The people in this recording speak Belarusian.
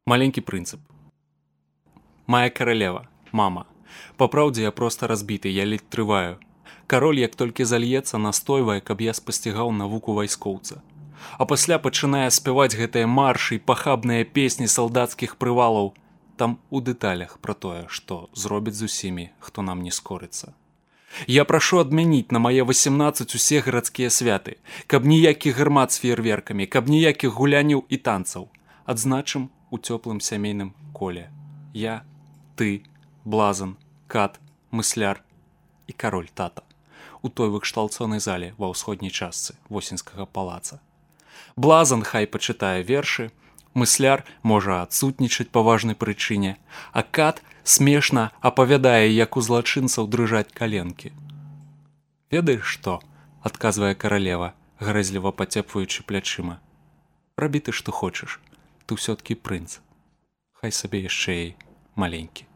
Маленький прынцып. Моя королева, мама. Па праўдзе я проста разбіты, я ледь трываю. Кароль, як толькі зальецца, настойвае, каб я спасцігаў навуку вайскоўца. А пасля пачынае спяваць гэтыя маршы і пахабныя песні салдацкіх прывалаў. Там у дэталях пра тое, што зробіць з усімі, хто нам не скорыцца. Я прашу адмяніць на мае 18 усе гарадскія святы, каб ніякіх гармат з феерверкамі, каб ніякіх гуляняў і танцаў. Адзначым у цёплым сямейным коле. Я, ты, блазан, кат, мысляр і кароль тата. У той выкшталцонай зале ва ўсходняй частцы Восеньскага палаца. Блазан хай пачытае вершы, мысляр можа адсутнічаць па важнай прычыне, а кат смешна апавядае, як у злачынцаў дрыжаць каленкі. Ведаеш што? Адказвае каралева, грэзліва пацепваючы плячыма. Рабі ты што хочаш, ты ўсё-ткі прынц. Хай сабе яшчэ і маленькі.